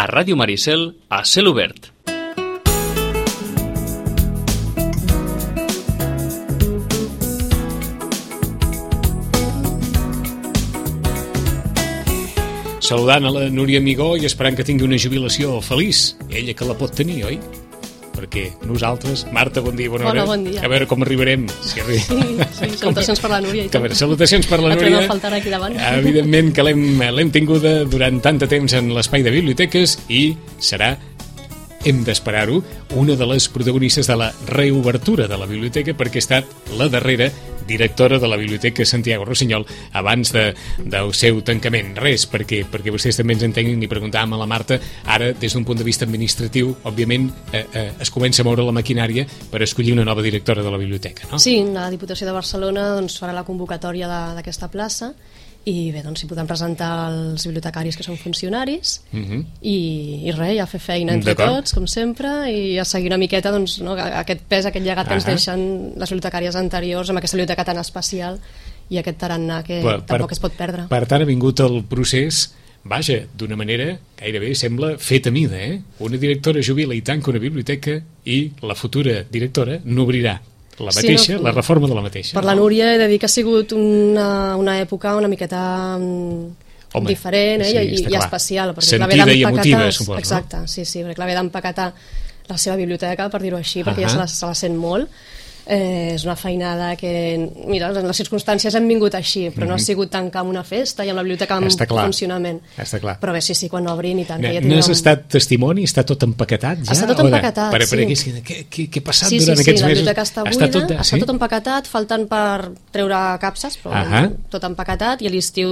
Ràdio Maricel, a cel obert. Saludant a la Núria Amigó i esperant que tingui una jubilació feliç. Ella que la pot tenir, oi? Perquè nosaltres... Marta, bon dia, bona hora. Bon dia. A veure com arribarem. Sí, salutacions per la Núria. A veure, salutacions per la Núria. La trobem a faltar aquí davant. Evidentment que l'hem tinguda durant tant de temps en l'espai de biblioteques i serà, hem d'esperar-ho, una de les protagonistes de la reobertura de la biblioteca perquè ha estat la darrera directora de la Biblioteca Santiago Rossinyol abans del seu tancament. Res, perquè vostès també ens entenguin i preguntàvem a la Marta, ara des d'un punt de vista administratiu, òbviament es comença a moure la maquinària per escollir una nova directora de la biblioteca, no? Sí, la Diputació de Barcelona farà la convocatòria d'aquesta plaça i bé, doncs s'hi podran presentar els bibliotecaris que són funcionaris i res, ja fer feina entre tots, com sempre, i a seguir una miqueta doncs, no, aquest pes, aquest llegat que ens deixen les bibliotecàries anteriors amb aquesta biblioteca tan especial i aquest tarannà que tampoc es pot perdre. Per tant, ha vingut el procés, vaja, d'una manera gairebé sembla fet a mida, Una directora jubila i tanca una biblioteca i la futura directora n'obrirà la mateixa, la reforma de la mateixa. Per la Núria he de dir que ha sigut una època una miqueta diferent i especial. Sentida i emotiva, suposo. Exacte, sí, perquè l'haver d'empaquetar la seva biblioteca, per dir-ho així, perquè ja se la sent molt. És una feinada que, mira, en les circumstàncies hem vingut així, però no ha sigut tancar amb una festa i amb la biblioteca en funcionament. Està clar. Però bé, sí, quan obrin i tant. N'has estat testimoni? Està tot empaquetat ja? Està tot empaquetat, sí. Què ha passat durant aquests mesos? La biblioteca està buida, està tot empaquetat, faltant per treure capses, però tot empaquetat, i a l'estiu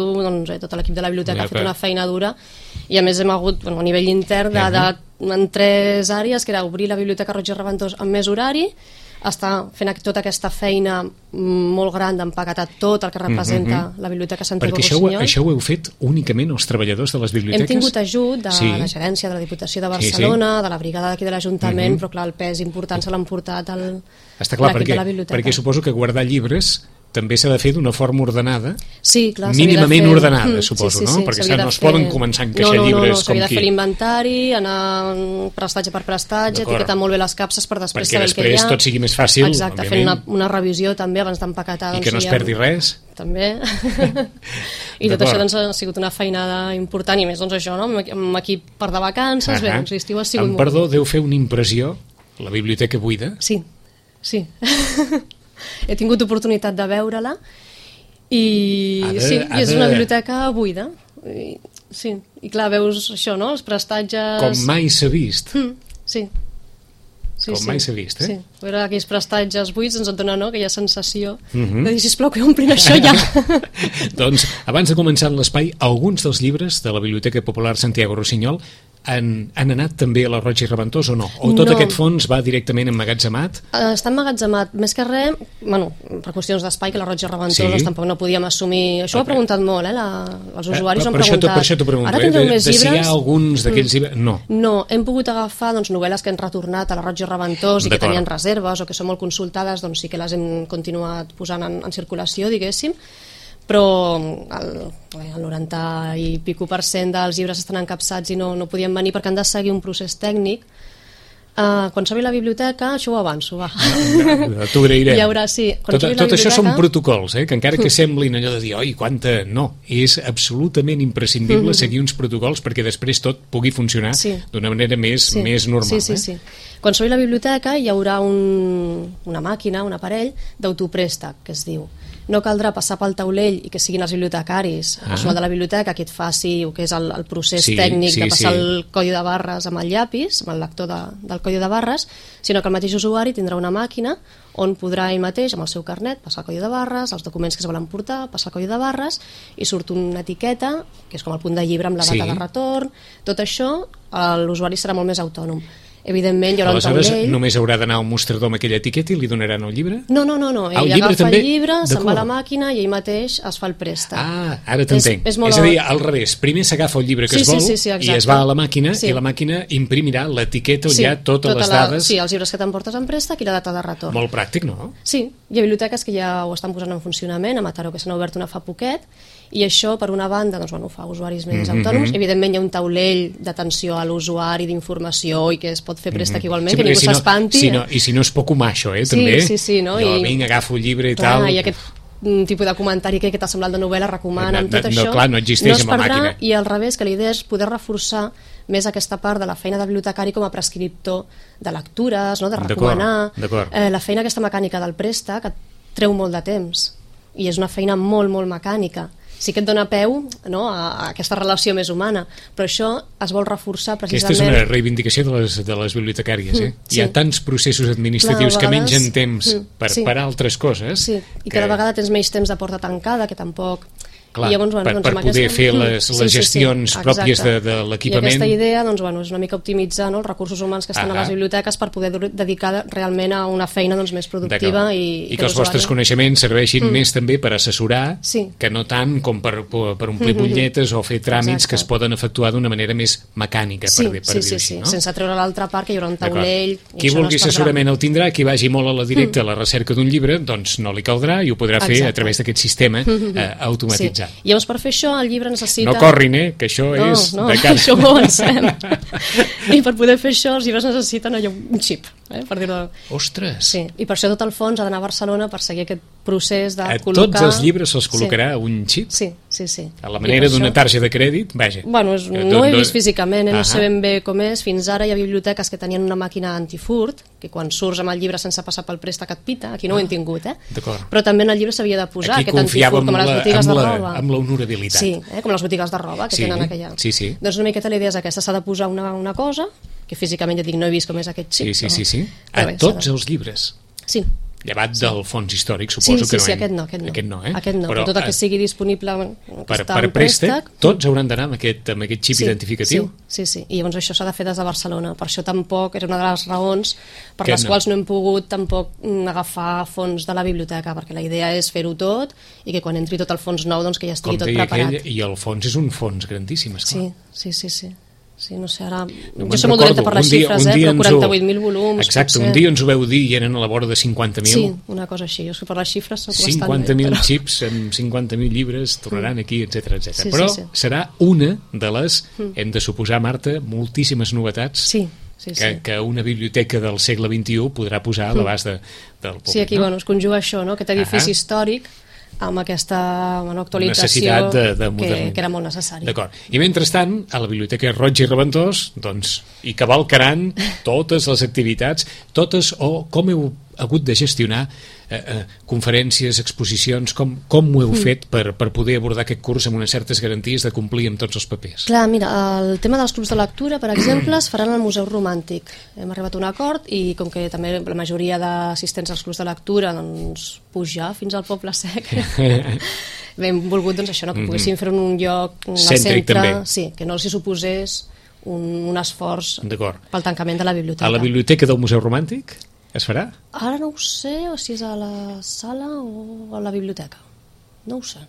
tot l'equip de la biblioteca ha fet una feina dura i a més hem hagut, a nivell intern, en 3 àrees, que era obrir la biblioteca Roig i Reventós amb més horari, està fent tota aquesta feina molt gran d'empaquetar tot el que representa la Biblioteca Santiago Rossinyol. Perquè això ho heu fet únicament els treballadors de les biblioteques? Hem tingut ajut de la gerència de la Diputació de Barcelona, de la brigada d'aquí de l'Ajuntament, però clar, el pes important se l'han portat l'equip de la biblioteca. Perquè suposo que guardar llibres també s'ha de fer d'una forma ordenada, mínimament ordenada, suposo, no? Perquè no es poden començar a encaixar llibres com qui... s'havia de fer l'inventari, anar prestatge per prestatge, etiquetar molt bé les capses per després saber el que hi ha. Perquè després tot sigui més fàcil, exacte, fent una revisió també abans d'empaquetar. I que no es perdi res. També. I tot això ha sigut una feinada important, i més això, amb equip per de vacances, bé, l'estiu ha sigut molt... Perdó, deu fer una impressió, la biblioteca buida? Sí. He tingut oportunitat de veure-la i és una biblioteca buida i clar, veus això, no? Els prestatges... Com mai s'ha vist. Mai s'ha vist, veure aquells prestatges buits ens et dona aquella sensació de dir, sisplau, que omplin això ja. Doncs, abans de començar l'espai, alguns dels llibres de la Biblioteca Popular Santiago Rossinyol han anat també a la Roig i Reventós o no? O tot aquest fons va directament emmagatzemat? Està emmagatzemat, més que res, per qüestions d'espai, que la Roig i Reventós tampoc no podíem assumir. Això ho ha preguntat molt, els usuaris ho han preguntat. Per això t'ho pregunto, ara tindreu més llibres? Si hi ha alguns d'aquells llibres... No, hem pogut agafar novel·les que han retornat a la Roig i Reventós i que tenien reserves o que són molt consultades, doncs sí que les hem continuat posant en circulació, diguéssim, però el 90 i pico % dels llibres estan encapçats i no podien venir perquè han de seguir un procés tècnic. Quan s'obri la biblioteca, això ho avanço, va. T'ho agrairem. Tot això són protocols, que encara que semblin allò de dir, oi, quanta... No, és absolutament imprescindible seguir uns protocols perquè després tot pugui funcionar d'una manera més normal. Sí. Quan s'obri la biblioteca hi haurà una màquina, un aparell d'autoprèstec, que es diu. No caldrà passar pel taulell i que siguin els bibliotecaris, el personal de la biblioteca, qui et faci el que és el procés tècnic de passar el codi de barres amb el llapis, amb el lector del codi de barres, sinó que el mateix usuari tindrà una màquina on podrà ell mateix, amb el seu carnet, passar el codi de barres, els documents que es volen portar, passar el codi de barres, i surt una etiqueta, que és com el punt de llibre amb la data de retorn. Tot això, l'usuari serà molt més autònom. Evidentment hi haurà un taulell. Aleshores només haurà d'anar a un mostrador amb aquella etiqueta i li donaran el llibre? No, ell agafa el llibre, se'n va a la màquina i ell mateix es fa el préstec. Ara t'entenc. És a dir, al revés, primer s'agafa el llibre que es vol i es va a la màquina i la màquina imprimirà l'etiqueta on hi ha totes les dades. Sí, els llibres que t'emportes en préstec i la data de retorn. Molt pràctic, no? Sí, hi ha biblioteques que ja ho estan posant en funcionament, a Mataró que se n'ha obert una fa poquet, I això, per una banda, doncs, ho fa usuaris més autònoms. Evidentment hi ha un taulell d'atenció a l'usuari, d'informació, i que es pot fer préstec igualment, que ningú s'espanti. I si no és poc humà, això, Sí, també. sí, no? Jo vinc, agafo el llibre i clar, tal. I aquest tipus de comentari que t'ha semblat de novel·la, recomanen tot això. Clar, no existeix es amb la perdrà, màquina. I al revés, que la idea és poder reforçar més aquesta part de la feina de bibliotecari com a prescriptor de lectures, no? De recomanar. D'acord. La feina aquesta mecànica del préstec et treu molt de temps i és una feina molt, molt mecànica. Sí que et dona peu, no, a aquesta relació més humana, però això es vol reforçar precisament... Aquesta és una reivindicació de les bibliotecàries, eh? Sí. Hi ha tants processos administratius que mengen temps per altres coses. Sí, i cada vegada tens menys temps de porta tancada, que tampoc... Clar, I llavors, per poder fer les gestions pròpies de l'equipament. I aquesta idea és una mica optimitzar, no, els recursos humans que estan a les biblioteques per poder dedicar realment a una feina més productiva i que els vostres coneixements serveixin més també per assessorar, que no tant com per omplir butlletes o fer tràmits que es poden efectuar d'una manera més mecànica, per dir-ho així. Sense treure l'altra part, que hi haurà un taulell. Qui vulgui assessorament el tindrà, qui vagi molt a la directa a la recerca d'un llibre, doncs no li caldrà i ho podrà fer a través d'aquest sistema automatitzat. I llavors per fer això el llibre necessita... No corrin, que això és de cara. Això ho avancem. I per poder fer això els llibres necessiten un xip, per dir-ho... Ostres! Sí, i per això tot el fons ha d'anar a Barcelona per seguir aquest procés de a col·locar... tots els llibres se'ls col·locarà un xip? Sí. A la manera d'una targeta de crèdit? Vaja. Bueno, no ho he vist físicament, no sé ben bé com és. Fins ara hi ha biblioteques que tenien una màquina antifurt, que quan surts amb el llibre sense passar pel préstec et pita. Aquí no ho hem tingut, D'acord. Però també en el llibre s'havia de posar aquí aquest antifurt, com a les botigues de roba. Amb l'honorabilitat. Sí, com les botigues de roba que tenen aquella. Sí. Doncs una miqueta la idea és aquesta, s'ha de posar una cosa, que físicament ja dic, no he vist com és aquest xip. Sí. A tots els llibres. Sí. Llevat del fons històric, suposo que no. Sí, aquest no. Aquest no, però tot el que sigui disponible per préstec, tots hauran d'anar amb aquest xip identificatiu. Sí, i llavors això s'ha de fer des de Barcelona. Per això tampoc era una de les raons per les quals no hem pogut tampoc agafar fons de la biblioteca, perquè la idea és fer-ho tot i que quan entri tot el fons nou doncs que ja estigui tot preparat. I el fons és un fons grandíssim, esclar. Sí. Sí, no sé, ara... Jo soc molt dolenta per les xifres, però 48.000 volums... Exacte, un dia ens ho veu dir i eren a la vora de 50.000. Sí, una cosa així, jo per les xifres soc bastant... 50.000 xips amb 50.000 llibres tornaran aquí, etc. Però serà una de les, hem de suposar, Marta, moltíssimes novetats que una biblioteca del segle XXI podrà posar a l'abast del públic. Sí, aquí es conjuga això, aquest edifici històric amb aquesta actualització que era molt necessària. D'acord. I mentrestant, a la Biblioteca Roig i Reventós, doncs, hi cavalcaran totes les activitats, totes, o com heu hagut de gestionar conferències, exposicions, com ho heu fet per poder abordar aquest curs amb unes certes garanties de complir amb tots els papers? Clar, mira, el tema dels clubs de lectura, per exemple, es faran al Museu Romàntic. Hem arribat a un acord i com que també la majoria d'assistents als clubs de lectura doncs pujar fins al Poble Sec hem volgut doncs això, que poguessin fer un lloc al centre, sí, que no els hi suposés un esforç pel tancament de la biblioteca. A la biblioteca del Museu Romàntic es farà? Ara no ho sé, o si és a la sala o a la biblioteca. No ho sé.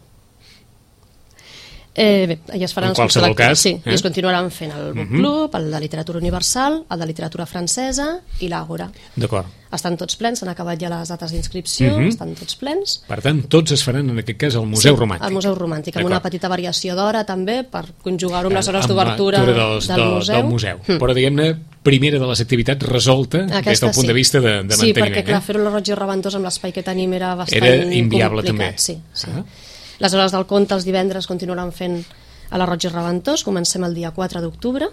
Bé, ja es faran en qualsevol cas. Sí, i es continuaran fent el Book Club, el de Literatura Universal, el de Literatura Francesa i l'Àgora. D'acord. Estan tots plens, s'han acabat ja les dates d'inscripció, estan tots plens. Per tant, tots es faran en aquest cas al Museu Romàntic. Al Museu Romàntic, amb una petita variació d'hora també, per conjugar-ho amb les hores d'obertura del museu. Però diguem-ne, primera de les activitats resolta des del punt de vista de manteniment. Sí, perquè clar, fer-ho a la Roig i Reventós amb l'espai que tenim era bastant inviable complicat. també. Sí. Les hores del conte els divendres continuaran fent a la Roig i Reventós, comencem el dia 4 d'octubre.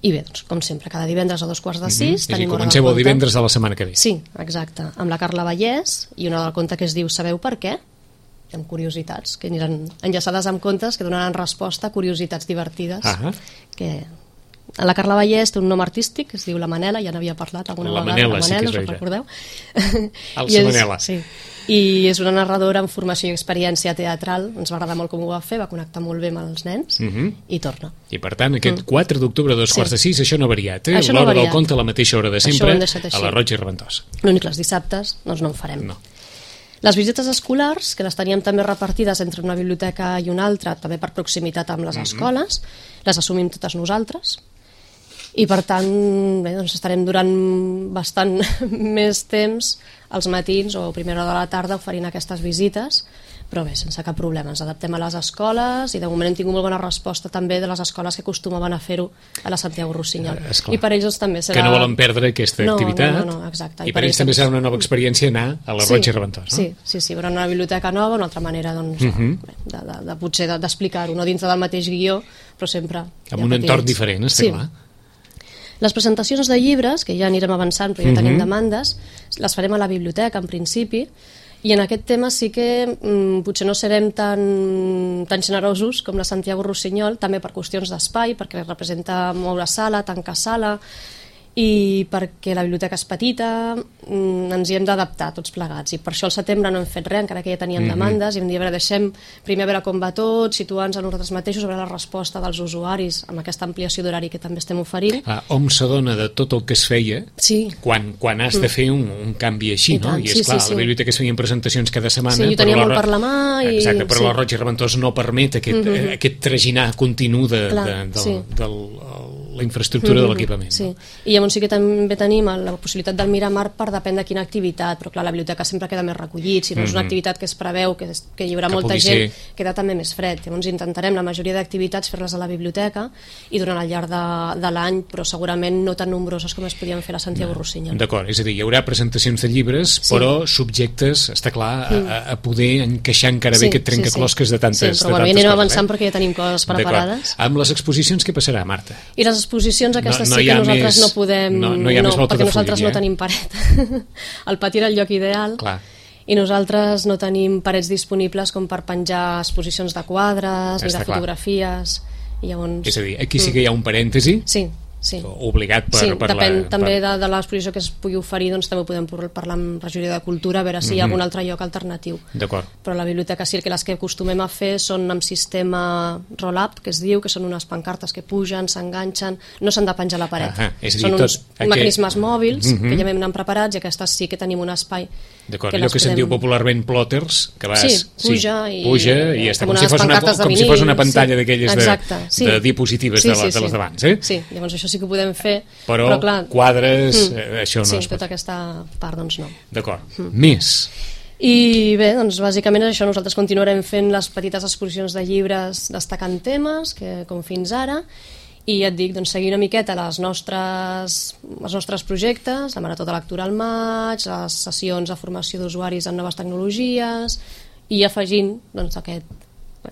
I bé, doncs, com sempre, cada divendres a 2:45 tenim hora del conte. Comenceu el divendres de la setmana que ve. Sí, exacte, amb la Carla Vallès i una hora del conte que es diu Sabeu per què? Amb curiositats, que aniran enllaçades amb contes que donaran resposta a curiositats divertides. Que la Carla Vallès té un nom artístic que es diu la Manela, ja n'havia parlat alguna vegada. La Manela, sí que es veia. Recordeu? Alça Manela. Sí. I és una narradora amb formació i experiència teatral, ens va agradar molt com ho va fer, va connectar molt bé amb els nens i torna. I per tant, aquest 4 d'octubre a 2:45, això no ha variat, Això l'hora del conte a la mateixa hora de sempre, a la Roig i Reventós. L'únic, els dissabtes, doncs no en farem. No. Les visites escolars, que les teníem també repartides entre una biblioteca i una altra, també per proximitat amb les escoles, les assumim totes nosaltres. I per tant, bé, doncs estarem durant bastant més temps als matins o a primera hora de la tarda oferint aquestes visites però bé, sense cap problema, ens adaptem a les escoles i de moment hem tingut molt bona resposta també de les escoles que acostumaven a fer-ho a la Santiago Rossinyol. Esclar. I per ells doncs, també serà... Que no volen perdre aquesta activitat. No, exacte. I per ells també serà una nova experiència anar a la Roig i Reventós, no? Sí, però una biblioteca nova, una altra manera doncs, de potser d'explicar-ho, no dintre del mateix guió, però sempre... Amb un entorn diferent, està clar. Les presentacions de llibres, que ja anirem avançant però ja tenim demandes, les farem a la biblioteca en principi, i en aquest tema sí que potser no serem tan generosos com la Santiago Rossinyol, també per qüestions d'espai, perquè representa moure sala, tancar sala, i perquè la biblioteca és petita, ens hi hem d'adaptar tots plegats, i per això al setembre no hem fet res, encara que ja teníem demandes, i hem dit, a veure, deixem primer a veure com va tot, situar-nos a nosaltres mateixos, a veure la resposta dels usuaris amb aquesta ampliació d'horari que també estem oferint. Hom s'adona de tot el que es feia quan has de fer un canvi així, no? I és clar, a la biblioteca es feien presentacions cada setmana. Sí, jo tenia molt per la mà. Exacte, però la Roig i Reventós no permet aquest traginar continu de la infraestructura de l'equipament. Sí, i llavors sí que també tenim la possibilitat del Miramar per depèn de quina activitat, però clar, la biblioteca sempre queda més recollit, si no és una activitat que es preveu que hi haurà molta gent, queda també més fred. Llavors intentarem la majoria d'activitats fer-les a la biblioteca i durant el llarg de l'any, però segurament no tan nombroses com es podien fer a la Santiago Rossinyol. D'acord, és a dir, hi haurà presentacions de llibres, però subjectes, està clar, a poder encaixar encara bé aquest trencaclosques de tantes coses. Però ja anirem avançant perquè ja tenim coses preparades. Amb les exposicions què passarà, Marta? I les exposicions aquestes sí que nosaltres no podem, perquè nosaltres no tenim paret. El pati era el lloc ideal. Clar. I nosaltres no tenim parets disponibles com per penjar exposicions de quadres ni de fotografies. I llavors... És a dir, aquí sí que hi ha un parèntesi. Sí. Obligat depèn també de l'exposició que es pugui oferir, doncs també podem parlar amb regidoria de Cultura a veure si hi ha algun altre lloc alternatiu. D'acord. Però a la biblioteca sí que les que acostumem a fer són amb sistema roll-up, que es diu, que són unes pancartes que pugen, s'enganxen, no s'han de penjar a la paret. Són uns mecanismes mòbils que ja m'hem preparats i aquestes sí que tenim un espai. D'acord, allò que se'n diu popularment plotters, que vas... puja i està com si fos una pantalla d'aquelles de diapositives de les d'abans, eh? Sí, llavors això sí que ho podem fer, però clar, quadres, això no es pot. Sí, tota aquesta part, doncs no. D'acord. Més? I bé, doncs bàsicament és això, nosaltres continuarem fent les petites exposicions de llibres destacant temes, com fins ara, i ja et dic, doncs seguir una miqueta els nostres projectes, la Marató de Lectura al maig, les sessions de formació d'usuaris en noves tecnologies, i afegint doncs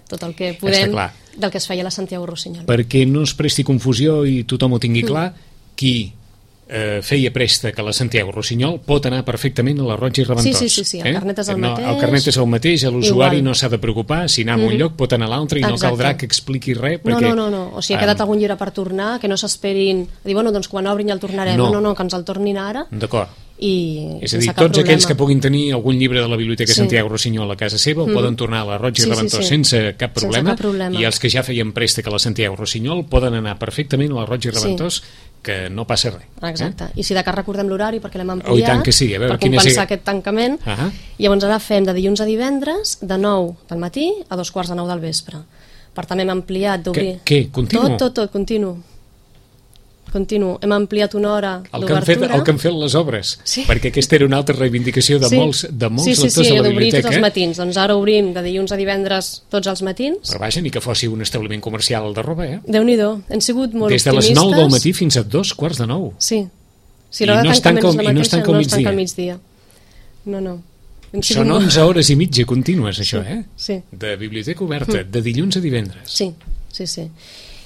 tot el que podem del que es feia a la Santiago Rossinyol. Perquè no es presti confusió i tothom ho tingui clar, qui feia préstec a la Santiago Rossinyol pot anar perfectament a la Roig i Reventós. Sí, el carnet és el mateix. El carnet és el mateix, l'usuari no s'ha de preocupar, si anar a un lloc pot anar a l'altre i no caldrà que expliqui res. No, o si ha quedat algun llibre per tornar, que no s'esperin a dir, bueno, doncs quan obrin ja el tornarem. No, que ens el tornin ara. D'acord. És a dir, tots aquells que puguin tenir algun llibre de la Biblioteca Santiago Rossinyol a casa seva el poden tornar a la Roig i Reventós sense cap problema, i els que ja feien préstec a la Santiago Rossinyol poden anar perfectament a la Roig i Reventós, que no passa res. Exacte, i si de cas recordem l'horari perquè l'hem ampliat, i tant que sí, per compensar aquest tancament. Llavors ara fem de dilluns a divendres de 9 del matí a 2:45 del vespre. Per tant hem ampliat d'obrir... Què? Continu? Tot, continu. Hem ampliat una hora d'obertura. El que han fet les obres, perquè aquesta era una altra reivindicació de molts lectors de la biblioteca. D'obrir tots els matins. Doncs ara obrim de dilluns a divendres tots els matins. Però vaja, ni que fossi un establiment comercial de roba, Déu-n'hi-do, hem sigut molt optimistes. Des de les 9 del matí fins a 2:45. Sí. I no es tanca al migdia. No. Són 11 hores i mitja contínues, això, Sí. De biblioteca oberta, de dilluns a divendres. Sí.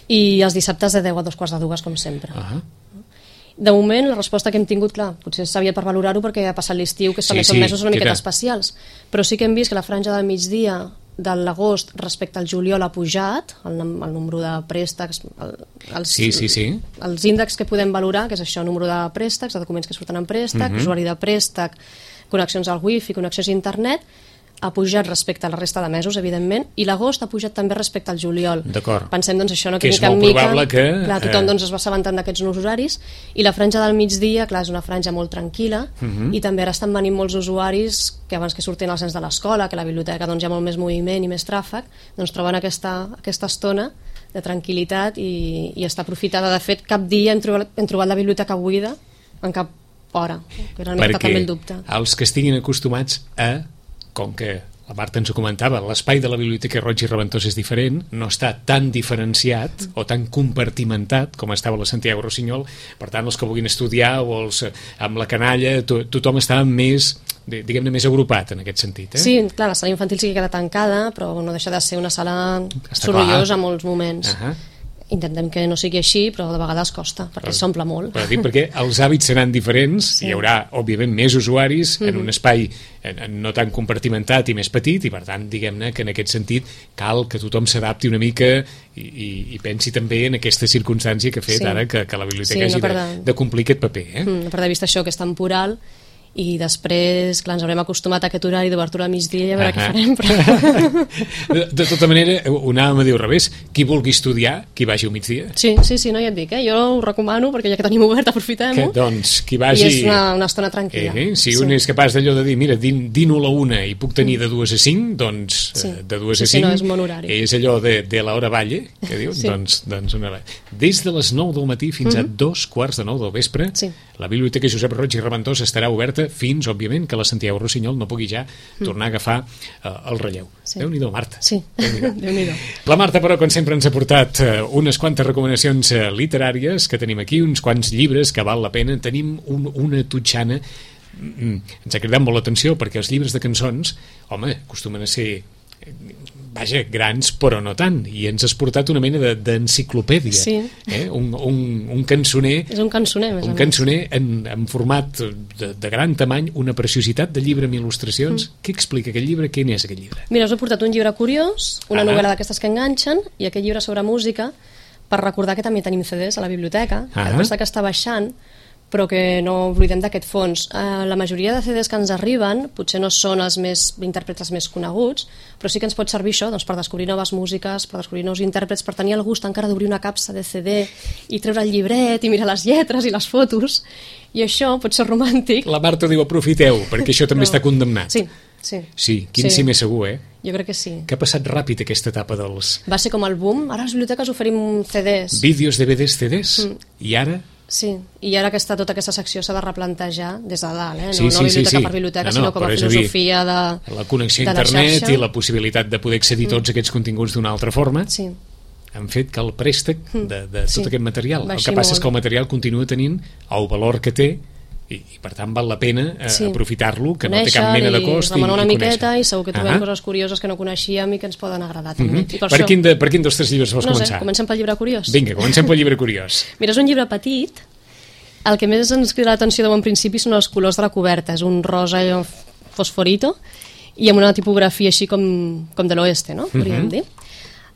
I els dissabtes de 10 a 2:45, com sempre. De moment, la resposta que hem tingut, clar, potser s'havia per valorar-ho perquè ha passat l'estiu, que també són mesos una miqueta especials, però sí que hem vist que la franja del migdia de l'agost respecte al juliol ha pujat el número de préstecs, els índexs que podem valorar, que és això, número de préstecs, de documents que surten en préstec, usuari de préstec, connexions al wifi, connexions a internet, ha pujat respecte a la resta de mesos, evidentment, i l'agost ha pujat també respecte al juliol. D'acord. Pensem, doncs, això, que és molt probable que... Clar, tothom es va assabentant d'aquests nous horaris, i la franja del migdia, clar, és una franja molt tranquil·la, i també ara estan venint molts usuaris que abans que surtin als nens de l'escola, que a la biblioteca doncs, hi ha molt més moviment i més tràfic, doncs troben aquesta estona de tranquil·litat i està aprofitada. De fet, cap dia hem trobat la biblioteca buida en cap hora, que era una mica també el dubte. Perquè els que estiguin acostumats a, com que la Marta ens ho comentava, l'espai de la Biblioteca Roig i Reventós és diferent, no està tan diferenciat o tan compartimentat com estava la Santiago Rossinyol, per tant els que vulguin estudiar o els amb la canalla, tothom està més, diguem-ne, més agrupat en aquest sentit. Sí, clar, la sala infantil sí que queda tancada, però no deixa de ser una sala sorollosa a molts moments. Intentem que no sigui així, però de vegades costa, perquè s'omple molt. Però dic perquè els hàbits seran diferents, hi haurà, òbviament, més usuaris en un espai no tan compartimentat i més petit, i per tant, diguem-ne que en aquest sentit cal que tothom s'adapti una mica i pensi també en aquesta circumstància que ha fet ara que la biblioteca hagi de complir aquest paper. No perdre de vista això, que és temporal, i després, clar, ens haurem acostumat a aquest horari d'obertura a migdia i a veure què farem. Però... De tota manera, ho anàvem a dir al revés, qui vulgui estudiar, qui vagi al migdia. Sí, no, ja et dic, jo ho recomano, perquè ja que tenim obert, aprofitem-ho. Doncs qui vagi... I és una estona tranquil·la. Si un és capaç d'allò de dir, mira, dino a la 1 i puc tenir de 2 a 5, doncs de 2 a 5 no, és un bon horari. És allò de l'hora valle, que diu, doncs una hora. Des de les 9 del matí fins a 2:15 del vespre, la Biblioteca Josep Roig i Reventós estarà oberta fins, òbviament, que la Santiago Rossinyol no pugui ja tornar a agafar el relleu. Déu-n'hi-do, Marta. Sí, Déu-n'hi-do. La Marta, però, com sempre, ens ha portat unes quantes recomanacions literàries que tenim aquí, uns quants llibres que val la pena. Tenim una totxana. Ens ha cridat molt l'atenció perquè els llibres de cançons, home, acostumen a ser... vaja, grans, però no tant, i ens has portat una mena d'enciclopèdia, un cançoner, és un cançoner, més un cançoner en format de gran tamany, una preciositat de llibre amb il·lustracions. Què explica aquest llibre? Què n'és aquest llibre? Mira, us he portat un llibre curiós, una novel·la d'aquestes que enganxen, i aquest llibre sobre música, per recordar que també tenim CDs a la biblioteca, que està baixant, però que no oblidem d'aquest fons. La majoria de CDs que ens arriben potser no són els intèrprets més coneguts, però sí que ens pot servir això per descobrir noves músiques, per descobrir nous intèrprets, per tenir el gust encara d'obrir una capsa de CD i treure el llibret i mirar les lletres i les fotos, i això pot ser romàntic. La Marta diu aprofiteu, perquè això també està condemnat. Sí, quin sí més segur, Jo crec que sí. Que ha passat ràpid aquesta etapa dels... Va ser com el boom, ara a les biblioteques oferim CDs. Vídeos, DVDs, CDs, i ara... Sí, i ara tota aquesta secció s'ha de replantejar des de dalt, no biblioteca per biblioteca, sinó com a filosofia de la connexió a internet i la possibilitat de poder accedir tots aquests continguts d'una altra forma han fet que el préstec de tot aquest material, el que passa és que el material continua tenint el valor que té i per tant val la pena aprofitar-lo, que no té cap mena de cost, i demanar una miqueta, i segur que trobem coses curioses que no coneixíem i que ens poden agradar també. Per quin dels tres llibres vols començar? No sé, comencem pel llibre curiós. Vinga, comencem pel llibre curiós. Mira, és un llibre petit, el que més ens crida l'atenció de bon principi són els colors de la coberta, és un rosa fosforito i amb una tipografia així com de l'oeste, no? Podríem dir.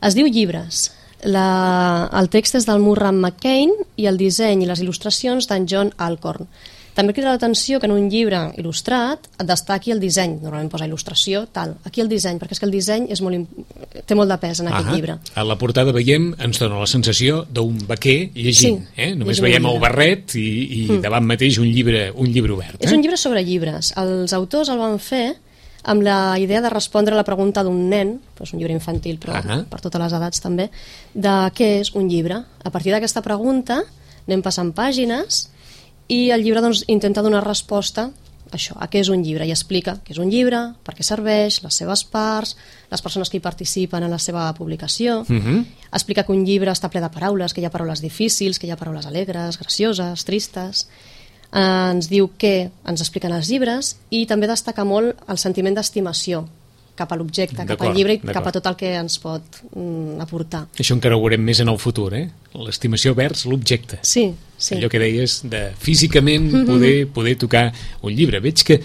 Es diu Llibres. El text és del Murray McCain i el disseny i les il·lustracions d'en John Alcorn. També crida l'atenció que en un llibre il·lustrat et destaqui el disseny, normalment posa il·lustració, tal. Aquí el disseny, perquè és que el disseny té molt de pes en aquest llibre. A la portada veiem, ens dona la sensació d'un vaquer llegint. Només veiem el barret i davant mateix un llibre obert. És un llibre sobre llibres. Els autors el van fer amb la idea de respondre a la pregunta d'un nen, és un llibre infantil però per totes les edats també, de què és un llibre. A partir d'aquesta pregunta anem passant pàgines i el llibre intenta donar resposta a què és un llibre i explica què és un llibre, per què serveix, les seves parts, les persones que hi participen en la seva publicació. Explica que un llibre està ple de paraules, que hi ha paraules difícils, que hi ha paraules alegres, gracioses, tristes. Ens diu què ens expliquen els llibres i també destaca molt el sentiment d'estimació cap a l'objecte, cap al llibre i cap a tot el que ens pot aportar. Això encara ho veurem més en el futur, l'estimació vers l'objecte. Sí. Allò que deies de físicament poder tocar un llibre. Veig que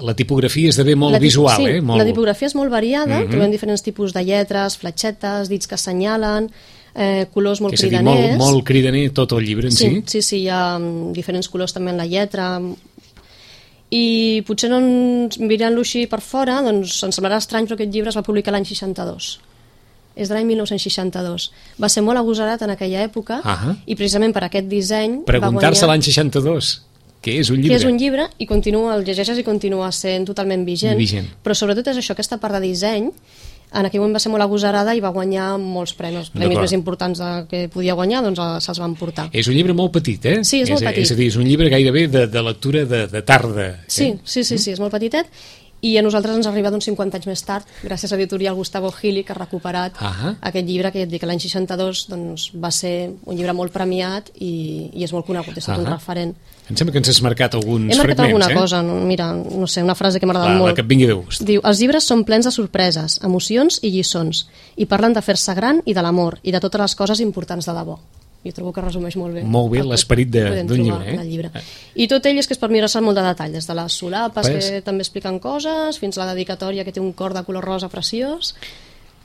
la tipografia esdevé molt visual. La tipografia és molt variada, trobem diferents tipus de lletres, fletxetes, dits que assenyalen, colors molt cridaners. És a dir, molt cridaner tot el llibre en si. Sí, hi ha diferents colors també en la lletra, i potser mirant-lo així per fora ens semblarà estrany, però aquest llibre es va publicar l'any 62, és de l'any 1962, va ser molt agosarat en aquella època i precisament per aquest disseny preguntar-se l'any 62 què és un llibre? Què és un llibre, i el llegeixes i continua sent totalment vigent. Però sobretot és això, aquesta part de disseny en aquell moment va ser molt agosarada i va guanyar molts premis més importants que podia guanyar, doncs se'ls van portar. És un llibre molt petit, Sí, és molt petit. És a dir, és un llibre gairebé de lectura de tarda. Sí, és molt petitet i a nosaltres ens arriba d'uns 50 anys més tard, gràcies a l'editorial Gustavo Gili, que ha recuperat aquest llibre, que ja et dic, l'any 62 doncs, va ser un llibre molt premiat i és molt conegut, és tot un referent. Em sembla que ens has marcat alguns fragments. He marcat alguna cosa, mira, no sé, una frase que m'ha agradat molt. La que et vingui de gust. Diu, els llibres són plens de sorpreses, emocions i lliçons, i parlen de fer-se gran i de l'amor, i de totes les coses importants de debò. Jo trobo que resumeix molt bé. Molt bé l'esperit d'un llibre. I tot ell és que és per mirar-se molt de detall, des de les solapes, que també expliquen coses, fins a la dedicatòria, que té un cor de color rosa preciós.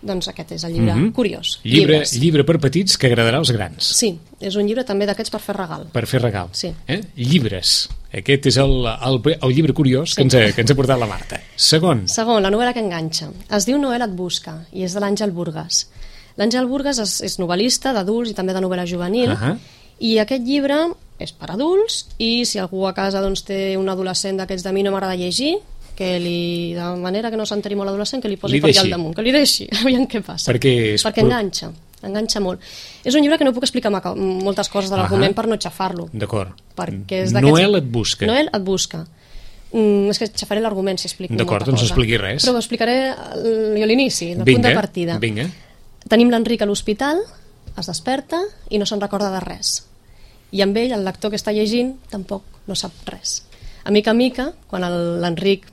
Doncs aquest és el llibre curiós. Llibre per petits que agradarà als grans. Sí, és un llibre també d'aquests per fer regal. Per fer regal. Sí. Llibres. Aquest és el llibre curiós que ens ha portat la Marta. Segon, la novel·la que enganxa. Es diu Noel et busca i és de l'Àngel Burgas. L'Àngel Burgas és novel·lista d'adults i també de novel·la juvenil, i aquest llibre és per adults, i si algú a casa doncs, té un adolescent d'aquests de mi no m'agrada llegir, que de manera que no s'enteri molt l'adolescent, que li posi per allà al damunt, que li deixi, aviam què passa. Perquè enganxa molt. És un llibre que no puc explicar moltes coses de l'argument per no xafar-lo. D'acord. Noel et busca. Noel et busca. És que xafaré l'argument si explico molta cosa. D'acord, doncs no expliqui res. Però ho explicaré jo a l'inici, el punt de partida. Vinga. Tenim l'Enric a l'hospital, es desperta i no se'n recorda de res. I amb ell, el lector que està llegint, tampoc no sap res. A mica, quan l'Enric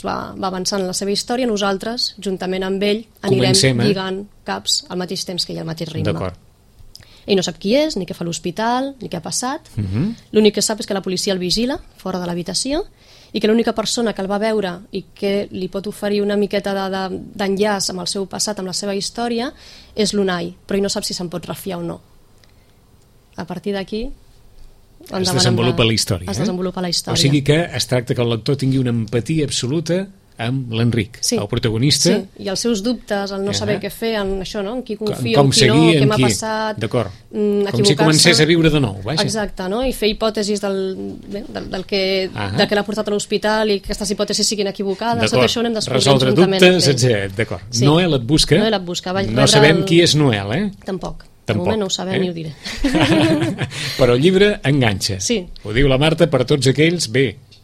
va avançant en la seva història, nosaltres, juntament amb ell, anirem lligant caps al mateix temps que ell, al mateix ritme. D'acord. Ell no sap qui és, ni què fa a l'hospital, ni què ha passat. L'únic que sap és que la policia el vigila fora de l'habitació i que l'única persona que el va veure i que li pot oferir una miqueta d'enllaç amb el seu passat, amb la seva història, és l'Unai, però ell no sap si se'n pot refiar o no. A partir d'aquí es desenvolupa la història. O sigui que es tracta que el lector tingui una empatia absoluta amb l'Enric, el protagonista. Sí, i els seus dubtes, el no saber què fer, en això, no? En qui confio, en qui no, què m'ha passat, d'acord. Com si comencés a viure de nou, vaja. Exacte, no? I fer hipòtesis del que l'ha portat a l'hospital i que aquestes hipòtesis siguin equivocades, tot això ho anem descobrint resoldre dubtes, etc. D'acord. Noel et busca. No sabem qui és Noel, eh? Tampoc. De moment no ho sabem ni ho diré. Però el llibre enganxa. Sí. Ho diu la Marta per tots aquells,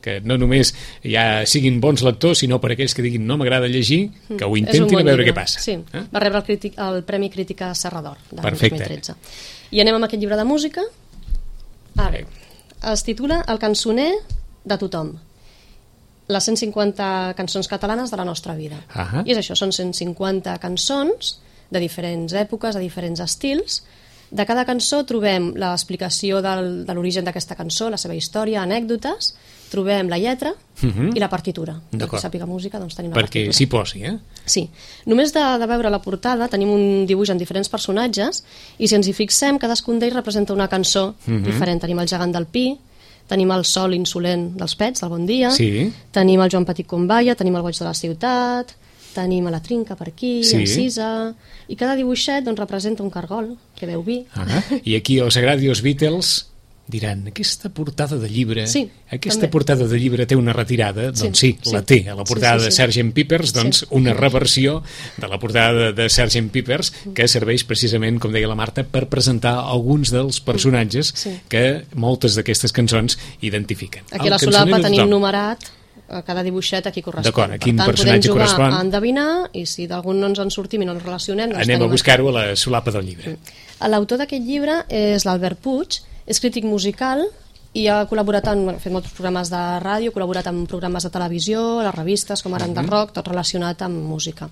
que no només ja siguin bons lectors, sinó per aquells que diguin no m'agrada llegir, que ho intentin a veure què passa. Sí, va rebre el Premi Crítica Serrador de 2013. I anem amb aquest llibre de música. Es titula El cançoner de tothom. Les 150 cançons catalanes de la nostra vida. I és això, són 150 cançons de diferents èpoques, de diferents estils. De cada cançó trobem l'explicació de l'origen d'aquesta cançó, la seva història, anècdotes, trobem la lletra i la partitura. D'acord. Que sàpiga música, doncs tenim la partitura. Perquè s'hi posi, Sí. Només de veure la portada tenim un dibuix amb diferents personatges i si ens hi fixem, cadascun d'ells representa una cançó diferent. Tenim el gegant del Pi, tenim el sol insolent dels Pets, del Bon Dia, tenim el Joan Petit Combaia, tenim el Boig de la Ciutat, tenim a la Trinca per aquí, en Sisa, i cada dibuixet doncs, representa un cargol que veu vi. I aquí els agradi els Beatles diran, aquesta portada de llibre portada de llibre té una retirada, doncs sí, la té. A la portada de Sgt. Pepper's, doncs una reversió de la portada de Sgt. Pepper's que serveix precisament, com deia la Marta, per presentar alguns dels personatges que moltes d'aquestes cançons identifiquen. Aquí a la solapa tenim numerat cada dibuixet a qui correspon. D'acord, a quin personatge correspon. Podem jugar a endevinar i si d'algun no ens en sortim i no ens relacionem... Anem a buscar-ho a la solapa del llibre. L'autor d'aquest llibre és l'Albert Puig, és crític musical i ha col·laborat ha fet molts programes de ràdio, ha col·laborat en programes de televisió, a les revistes com ara de rock, tot relacionat amb música.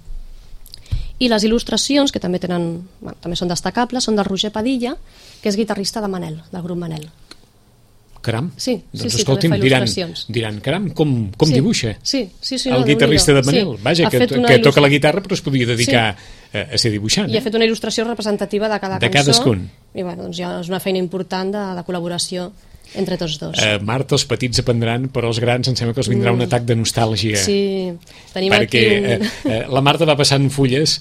I les il·lustracions, que també són destacables, són del Roger Padilla, que és guitarrista de Manel, del grup Manel. Caram, sí, doncs escolti'm, diran, caram, com dibuixa el guitarrista de Manel, vaja, que toca la guitarra però es podia dedicar a ser dibuixant. I ha fet una il·lustració representativa de cada cançó. De cadascun. I doncs ja és una feina important de col·laboració entre tots dos. Marta, els petits aprendran, però els grans em sembla que els vindrà un atac de nostàlgia. Sí, tenim perquè la Marta va passant fulles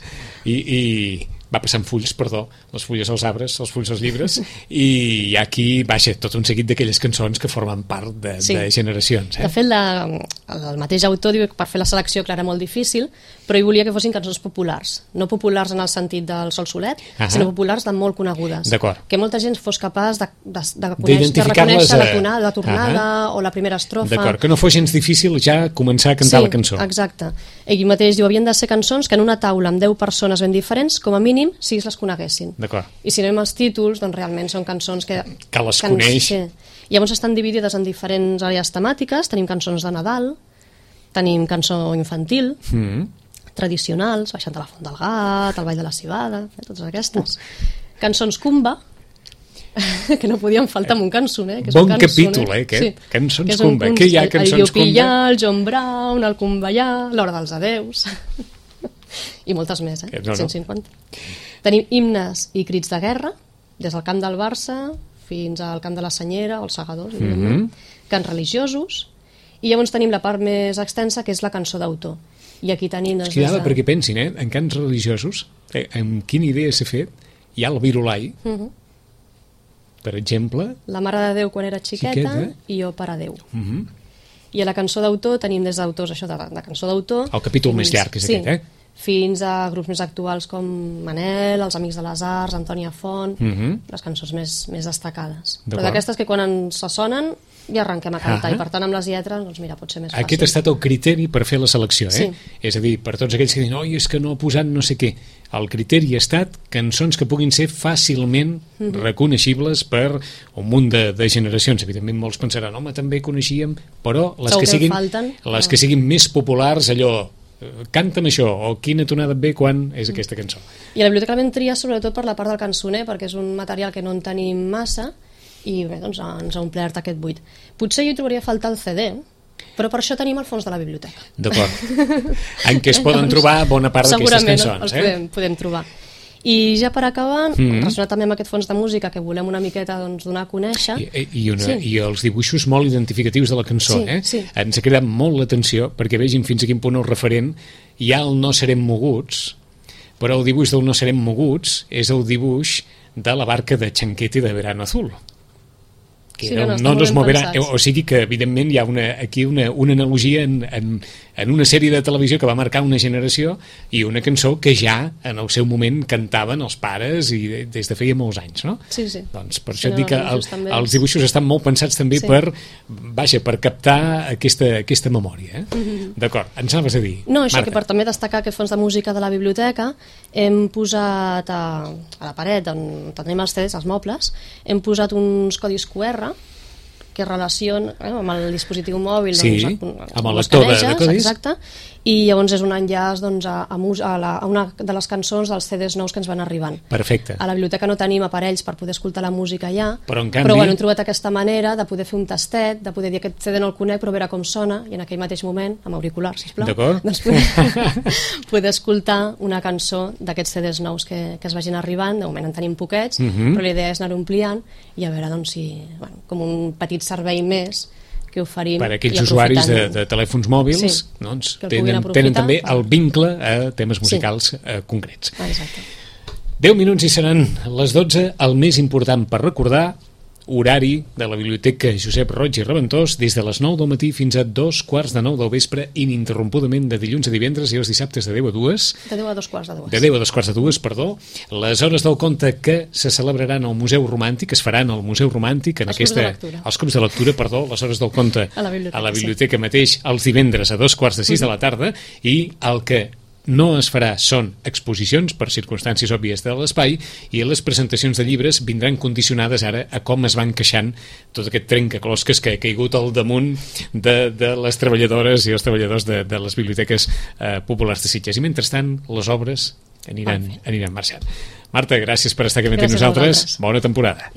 i va passant fulls, perdó, les fulles als arbres, els fulls als llibres, i hi ha aquí, vaja, tot un seguit d'aquelles cançons que formen part de generacions. De fet, el mateix autor diu que per fer la selecció, clar, era molt difícil, però ell volia que fossin cançons populars, no populars en el sentit del Sol Solet, sinó populars de molt conegudes. D'acord. Que molta gent fos capaç de reconèixer la tonada, la tornada o la primera estrofa. D'acord, que no fos gens difícil ja començar a cantar la cançó. Sí, exacte. Ell mateix diu, havien de ser cançons que en una taula amb 10 persones ben diferents, com a mínim, si les coneguessin. D'acord. I si anem als títols, doncs realment són cançons que les coneix. Sí. Llavors estan dividides en diferents àrees temàtiques. Tenim cançons de Nadal, tenim cançó infantil, tradicionals, Baixant de la Font del Gat, El Ball de la Civada, totes aquestes. Cançons Cumba, que no podien faltar en un cançoner. Bon capítol, aquest. Sí. Cançons Cumba. Què hi ha cançons Cumba? El Llopillà, el John Brown, el Cumballà, l'Hora dels Adeus... i moltes més, 150. Tenim himnes i crits de guerra, des del camp del Barça fins al camp de la Senyera o els Segadors, cants religiosos, i llavors tenim la part més extensa, que és la cançó d'autor. I aquí tenim... Perquè pensin, en cants religiosos, amb quina idea s'ha fet, hi ha el Virolai, per exemple... La Mare de Déu quan era xiqueta i Jo per a Déu. I a la cançó d'autor tenim des d'autors, això de cançó d'autor... El capítol més llarg és aquest, fins a grups més actuals com Manel, Els Amics de les Arts, Antònia Font, les cançons més destacades. Però d'aquestes que quan ens sonen ja arrenquem a cantar, i per tant amb les lletres, doncs mira, pot ser més fàcil. Aquest ha estat el criteri per fer la selecció, És a dir, per tots aquells que diuen, oi, és que no ha posat no sé què. El criteri ha estat cançons que puguin ser fàcilment reconeixibles per un munt de generacions. Evidentment molts pensaran, home, també coneixíem, però les que siguin més populars, allò, canta'm això, o quina tonada et ve quan és aquesta cançó. I a la biblioteca vam triar sobretot per la part del cançoner, perquè és un material que no en tenim massa, i bé, doncs ens ha omplert aquest buit. Potser jo hi trobaria a faltar el CD, però per això tenim el fons de la biblioteca. D'acord. En què es poden trobar bona part d'aquestes cançons. Segurament els podem trobar. I ja per acabar, relacionat també amb aquest fons de música que volem una miqueta donar a conèixer... I els dibuixos molt identificatius de la cançó, Ens ha cridat molt l'atenció perquè vegin fins a quin punt el referent hi ha el No serem moguts, però el dibuix del No serem moguts és el dibuix de la barca de Chanquete de Verano Azul. No nos moverà, o sigui que evidentment hi ha aquí una analogia en una sèrie de televisió que va marcar una generació i una cançó que ja en el seu moment cantaven els pares i des de feia molts anys, no? Sí. Doncs per això et dic que els dibuixos estan molt pensats també per captar aquesta memòria. D'acord, ens anaves a dir, no, això, Marta, que per també destacar aquest fons de música de la biblioteca hem posat a la paret on tenim els CDs, els mobles, hem posat uns codis QR que relaciona amb el dispositiu mòbil, amb el lector de codis, exacte, i llavors és un enllaç a una de les cançons dels CDs nous que ens van arribant. Perfecte. A la biblioteca no tenim aparells per poder escoltar la música allà, però en canvi hem trobat aquesta manera de poder fer un tastet, de poder dir aquest CD no el conec però veure com sona, i en aquell mateix moment, amb auriculars, sisplau, doncs poder escoltar una cançó d'aquests CDs nous que es vagin arribant. De moment en tenim poquets, però la idea és anar ampliant i a veure doncs, si, com un petit servei més que oferim. Per a aquells usuaris de telèfons mòbils, doncs, tenen també el vincle a temes musicals concrets. Exacte. 10 minuts i seran les 12, el més important per recordar, horari de la Biblioteca Josep Roig i Reventós des de les 9 del matí fins a 2:45 del vespre, ininterrompudament de dilluns a divendres i els dissabtes de 10 a 2. De 10 a 2:45. De 10 a 2:45, perdó. Les hores del conte que se celebraran al Museu Romàntic, es faran al Museu Romàntic, els clubs de lectura, perdó, les hores del conte a la biblioteca mateix, els divendres a 2:45 de la tarda, i el que no es farà són exposicions per circumstàncies òbvies de l'espai, i les presentacions de llibres vindran condicionades ara a com es van queixant tot aquest trencaclosques que ha caigut al damunt de les treballadores i els treballadors de les biblioteques populars de Sitges. I mentrestant les obres aniran marxant. Marta, gràcies per estar aquí amb nosaltres. Bona temporada.